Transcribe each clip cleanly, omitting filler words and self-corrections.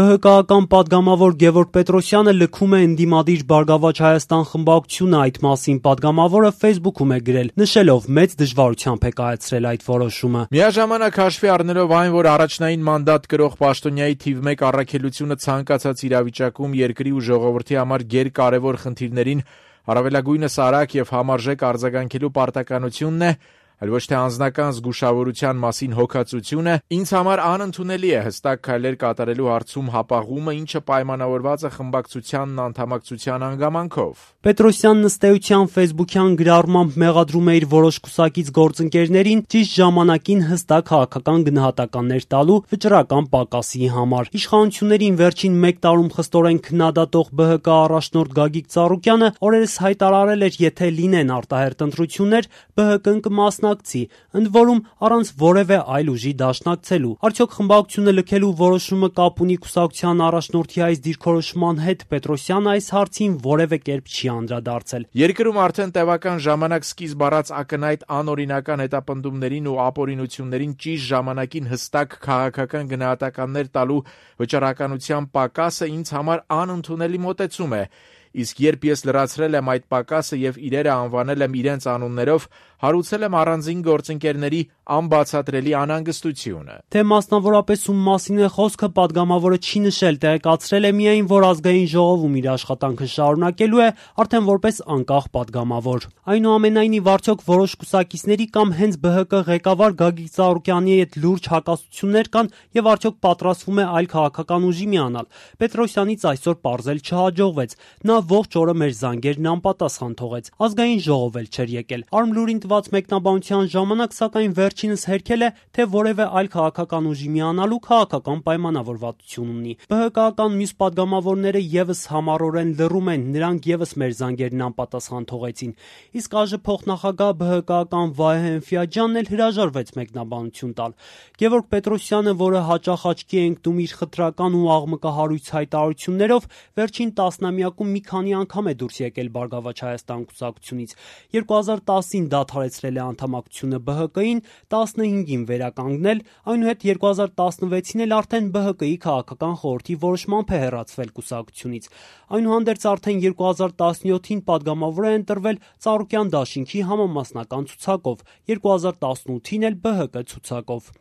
ԲՀԿ-ական պատգամավոր Գևորգ Պետրոսյանը լքում է ընդդիմադիր Բարգավաճ Հայաստան խմբակցությունը, այդ մասին պատգամավորը Facebook-ում է գրել, նշելով մեծ դժվարությամբ է կայացրել այդ որոշումը։ Միաժամանակ հաշվի առնելով այն, որ առաջնային մանդատ կրող պաշտոնյայի թիվ 1 առաքելությունը ցանկացած իրավիճակում երկրի ու ժողովրդի համար գերկարևոր խնդիրներին առավելագույնս արագ եւ համարժեք արձագանքելու պարտականությունն է, այլ ոչ թե անձնական զգուշավորության մասին հոգացությունը, ինձ համար անընդունելի է հստակ քայլեր կատարելու հարցում հապաղումը, ինչը պայմանավորված է խմբակցությանն անդամակցության հանգամանքով։ Պետրոսյանն ըստ էության Facebook-յան գրառմամբ մեղադրում է իր որոշ կուսակից գործընկերներին ճիշտ ժամանակին հստակ քաղաքական գնահատականներ տալու վճռական պակասի համար։ Իշխանություններին վերջին 1 տարում խստորեն քննադատող ԲՀԿ առաջնորդ Գագիկ Ծառուկյանը օրերս հայտարարել էր, եթե լինեն արտահերթ ընտրություններ, ԲՀԿ-ն կմասնակցի, ընդ որում առանց որևէ այլ ուժի դաշնակցելու։ Արդյոք խմբակցությունը լքելու որոշումը կապ ունի կուսակցության առաջնորդի այս դիրքորոշման հետ? Պետրոսյանը այս հարցին որևէ կերպ չի անդրադարձել։ Երկրում արդեն տևական ժամանակ սկիզբ առած ակնհայտ անօրինական հետապնդումներին ու ապօրինություններին ճիշտ ժամանակին հստակ քաղաքական գնահատականներ տալու վճռականության պակասը ինձ համար անընդունելի մոտեցում է։ Իսկ երբ ես լրացրել եմ այդ պակասը եւ իրերը անվանել եմ իրենց անուններով, հարուցել եմ առանձին գործընկերների անբացատրելի անհանգստությունը։ Թե մասնավորապես ում մասին է խոսքը, պատգամավորը չի նշել, տեղեկացրել է միայն, որ ազգային ժողովում իր աշխատանքը շարունակելու է արդեն որպես անկախ պատգամավոր։ Այնուամենայնիվ, արդյոք որոշ կուսակիցների կամ հենց ԲՀԿ ղեկավար Գագիկ Ծառուկյանի հետ լուրջ հակասություններ կան եւ արդյոք պատրաստվում է այլ քաղաքական ուժի միանալ։ Պետրոսյանից այսօր պարզել չհաջողվեց։ Նա ողջ օրը մեր զանգերն անպատասխան թողեց։ Ազգային ժողով էլ չէր եկել։ Արմլուրին տված մեկնաբանության ժամանակ սակայն վերջինս հերքել է, թե որևէ այլ քաղաքական ուժի միանալու քաղաքական պայմանավորվածություն ունի։ ԲՀԿ-ական մյուս պատգամավորները եւս համառորեն լռում են, նրանք եւս մեր զանգերն անպատասխան թողեցին։ Իսկ ԱԺ փոխնախագահ ԲՀԿ-ական Վահե Ֆիաջյանն էլ հրաժարվեց մեկնաբանություն տալ։ Գևորգ Պետրոսյանը, որը հաճախ աչքի է ընկնում իր խտրական ու աղմկահարույց հայտարարություններով, վերջին տասնամյակում մի քանի անգամ է դուրս եկել Բարգավաճ Հայաստան կուսակցությունից։ 2010-ին դադարեցրել է անդամակցությունը ԲՀԿ-ին, 15-ին վերականգնել, այնուհետ 2016-ին էլ արդեն ԲՀԿ-ի քաղաքական խորհրդի որոշմամբ է հեռացվել կուսակցությունից։ Այնուհանդերձ արդեն 2017-ին պատգամավոր է ընտրվել Ծառուկյան դաշինքի համամասնական ցուցակով, 2018-ին էլ ԲՀԿ ցուցակով։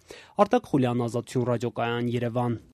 Արտակ Խուլյան, Ազատություն ռադիոկայան, Երևան։